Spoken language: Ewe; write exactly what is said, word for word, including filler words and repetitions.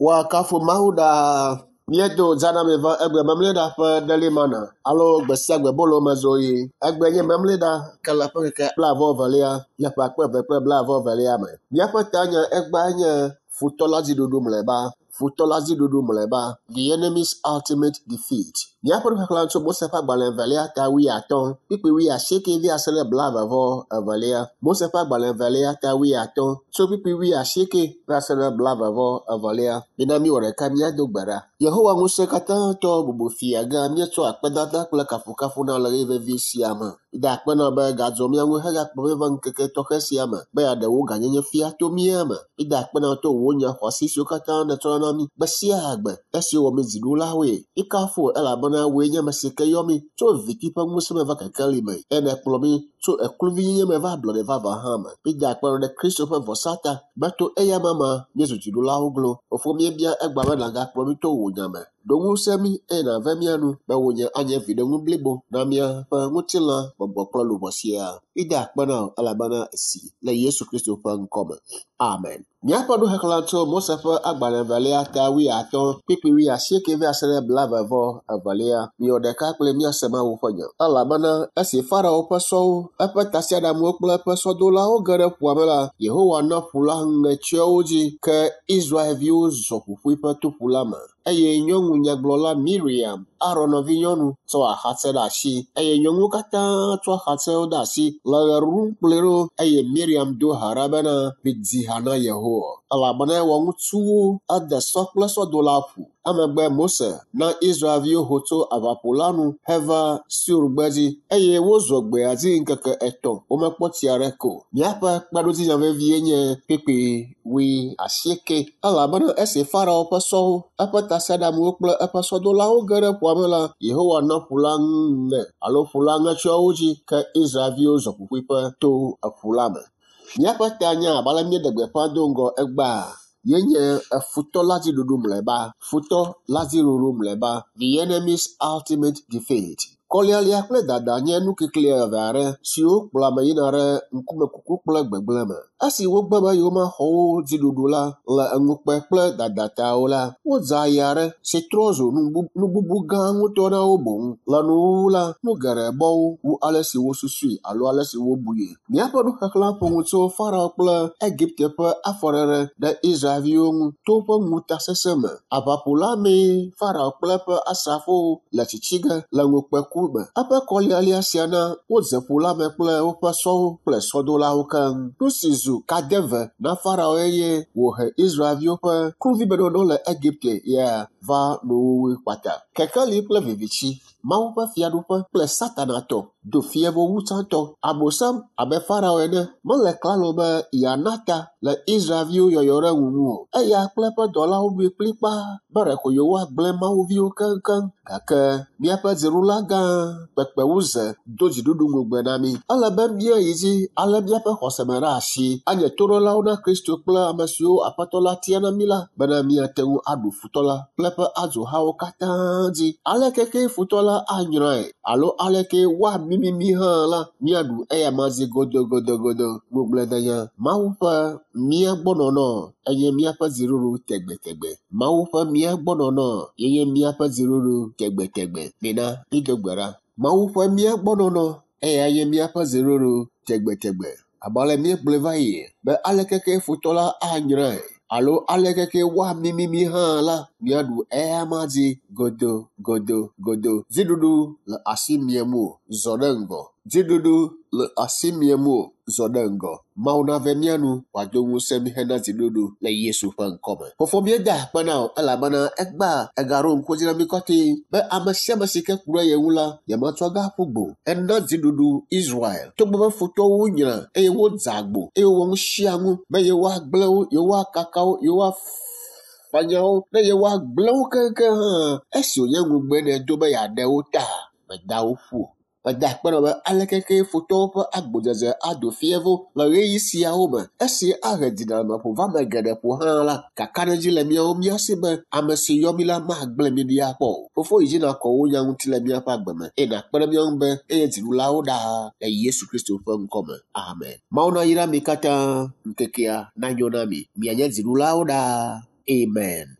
Woakafu Mawu ɖaa. Míedo dzanami va egbe memleɖa ƒe ɖelimana alo gbe sia gbe bolo me zoɣi. Egbe nye memleɖa ke le ƒe ŋkeke blaeve evelia le ƒe akpe eve kple blaeve evelia me. Míaƒe tanya egbea nye futɔ la dziɖuɖu mlɔeba. Futɔ la dziɖuɖu mlɔeba. The enemy's ultimate defeat. Míaƒe nuxexlẽ tso Mose ƒe agbalẽ evelia ta wuiatɔ̃ kpukpui wuiasieke va se ɖe blaeve vɔ evelia. Mose ƒe agbalẽ evelia ta wuiatɔ̃ tso kpukpui wuiasieke va se ɖe blaeve vɔ evelia. Mina míwɔ ɖeka míado gbe ɖa. Yehowa ŋusẽ katã tɔ bubu fia gã míetsɔ akpedada kple kafukafu na le ɣeyiɣi vevi sia me. Da akpe na be gadzɔ mía ŋu hegakplɔ mí va ŋkeke tɔxɛ sia me be yeaɖe wò gãnyenye fia to mía me. Mida akpe na to wò nya xɔasi siwo katã nètsɔna na mí gbe sia gbe esi wɔ mí dziɖulawoe. Míkafu wò elabena wòe nye ame si ke yɔ mí tso viviti ƒe ŋusẽ me va kekeli me eye nèkplɔ mí tso ekluvinyenye me va ablɔɖe vavã hã me. Mida akpe na ɖe Kristo ƒe vɔsa ta be to eya ma míezu dziɖulawo glo. Fofo míebia egbea be nàgakplɔ mí to wò nya me. Ɖo ŋusẽ mí eye nàve mía nu be wò nya anye viɖenu blibo na míaƒe ŋutilã, gbɔgbɔ kple luʋɔ siaa. Mida akpe na wò elabena esi le Yesu Kristo ƒe ŋkɔ me. Amen. Míaƒe nuxexlẽ tso Mose ƒe agbalẽ evelia ta wuiatɔ̃ kpukpui wuiasieke va se ɖe blaeve vɔ evelia. Miwɔ ɖeka kple míase Mawu ƒe nya. Elabena esi Farao ƒe sɔwo, eƒe tasiaɖamwo kple eƒe sɔdolawo ge ɖe ƒua me la, Yehowa na ƒu la ŋe tsyɔ wo dzi ke Israelviwo zɔ ƒuƒuiƒe to ƒu la me. Eye nyɔnu nyagblɔla Miriam, Aron nɔvinyɔnu, tsɔ axatsɛ ɖe asi eye nyɔnuwo katã tsɔ axatsɛwo ɖe asi le ɣe ɖum kplɔe ɖo eye Miriam do ha ɖa bena midzi ha na Yehowa elabena ewɔ ŋutsuwo ede sɔ kple sɔdola ƒu. Emegbe Mose na Israelviwo ho tso aʋaƒu la nu heva Sur gbedzi eye wozɔ gbea dzi ŋkeke etɔ̃ womekpɔ tsi aɖeke o. Míaƒe kpeɖodzinya vevie nye kpukpui wuiasieke elabena esi Farao ƒe sɔwo, eƒe tasiaɖamwo kple eƒe sɔdolawo ge ɖe ƒua me la, Yehowa na ƒu la ŋe alo ƒu la ŋe tsyɔ wo dzi ke Israelviwo zɔ ƒuƒuiƒe to eƒu la me. Míaƒe tanya abe ale míeɖe gbeƒã do ŋgɔ egbea yenye futɔ la dziɖuɖu mlɔeba. Futɔ la dziɖuɖu mlɔeba. The enemy's ultimate defeat. Kɔlialia kple dada nye nukikli eve aɖe siwo kplɔ ame yina ɖe ŋkumekuku kple gbegblẽ me. Esi wogbe be yewomaxɔ wo dziɖuɖu la le ŋukpe kple dada ta o la, wodze aye aɖe si trɔ zu nu bubu gã ŋutɔ na wo boŋ. Le nuwuwu la, nu geɖe bɔ wo wu ale si wosusui alo ale si wobui. Míaƒe nuxexlẽ ƒo nu tso Farao kple Egipte ƒe afɔɖeɖe ɖe Israelviwo ŋu to woƒe ŋutasesẽ me. Aʋaƒu la mee Farao kple eƒe asrafowo le tsitsi ge le ŋukpeku me. Eƒe kɔlialia sia na wodze ƒu la me kple woƒe sɔwo kple sɔdolawo keŋ. Nu si zu kadeve na Farao eye wòhe Israelviwo ƒe kluvimenɔnɔ le Egipte ya va nuwuwui kpata. Kekeli kple viviti, Mawu ƒe fiaɖuƒe kple Satana tɔ do fievo wu tsãtɔ. Abosam abe Farao ene mele klalo be yeana ta le Israelviwo yɔyɔ ɖe ŋu ŋu o. Eya kple eƒe dɔlawo ɖoe kplikpaa be ɖeko yewoagblẽ mawuviwo keŋkeŋ. Gake míaƒe dziɖula gã kpekpewuze do dziɖuɖu ŋugbe na mí. Ele be míayi dzi alé míaƒe xɔse me ɖe asi, anye toɖolawo na Kristo kple ame siwo Aƒetɔ la tia na mí la bena míate ŋu aɖu futɔ la kple eƒe adzohawo katã dzi. Aleke kee futɔ la anyrae alo aleke woamimi mí hã la, míaɖu eyama dzi godogodogodo. Ŋugbledenya Mawu ƒe mía gbɔ nɔnɔ enye míaƒe dziɖuɖu tegbetegbe. Mawu ƒe mía gbɔ nɔnɔ yenye míaƒe dziɖuɖu tegbetegbe. Mina mído gbe ɖa. Mawu ƒe mía gbɔ nɔnɔ eya nye míaƒe dziɖuɖu tegbetegbe. Abe ale míegblɔe va yi be aleke kee futɔ la anyrae alo aleke kee woamimi mí hã la, míaɖu eyama dzi godogodogodo. Dziɖuɖu le asi miem o, zɔ ɖe ŋgɔ. Dziɖuɖu le asi miem o, zɔ ɖe ŋgɔ. Mawu nave mía nu wòado ŋusẽ mí hena dziɖuɖu le Yesu ƒe ŋkɔ me. Fofo míeda akpe na wò elabena egbea ègaɖo ŋku dzi na mí kɔtɛe be ame sia ame si ke ku ɖe ye ŋu la, yematsɔ ge aƒu gbe o. Ena dziɖuɖu Israel togbɔ be futɔwo nyra eye wodze agbo eye wowɔ nu sia nu be yewoagblẽ wo, yewoakaka wo, yewoafanya wo ne yewoagblẽ wo keŋkeŋ hã. Esi wònye ŋugbe nèdo be yeaɖe wo ta, mèda wo ƒu o. Meda akpe na wò be aleke kee futɔwo ƒe agbodzedze ado fievo le ɣeyiɣi siawo me esi ahe dziɖeleameƒo va ame geɖe ƒo hã la, kakaɖedzi le míawo mía si be ame si yɔ mí la magblẽ mí ɖi akpɔ o. Fofo yi dzi nàkɔ wò nya ŋuti le míaƒe agbe me eye nàkpe ɖe mía ŋu be eye dziɖulawo ɖaa le Yesu Kristo ƒe ŋkɔ me. Amen. Mawu nayra mi katã ŋkekea nanyo na mi. Mianye dziɖulawo ɖaa. Amen.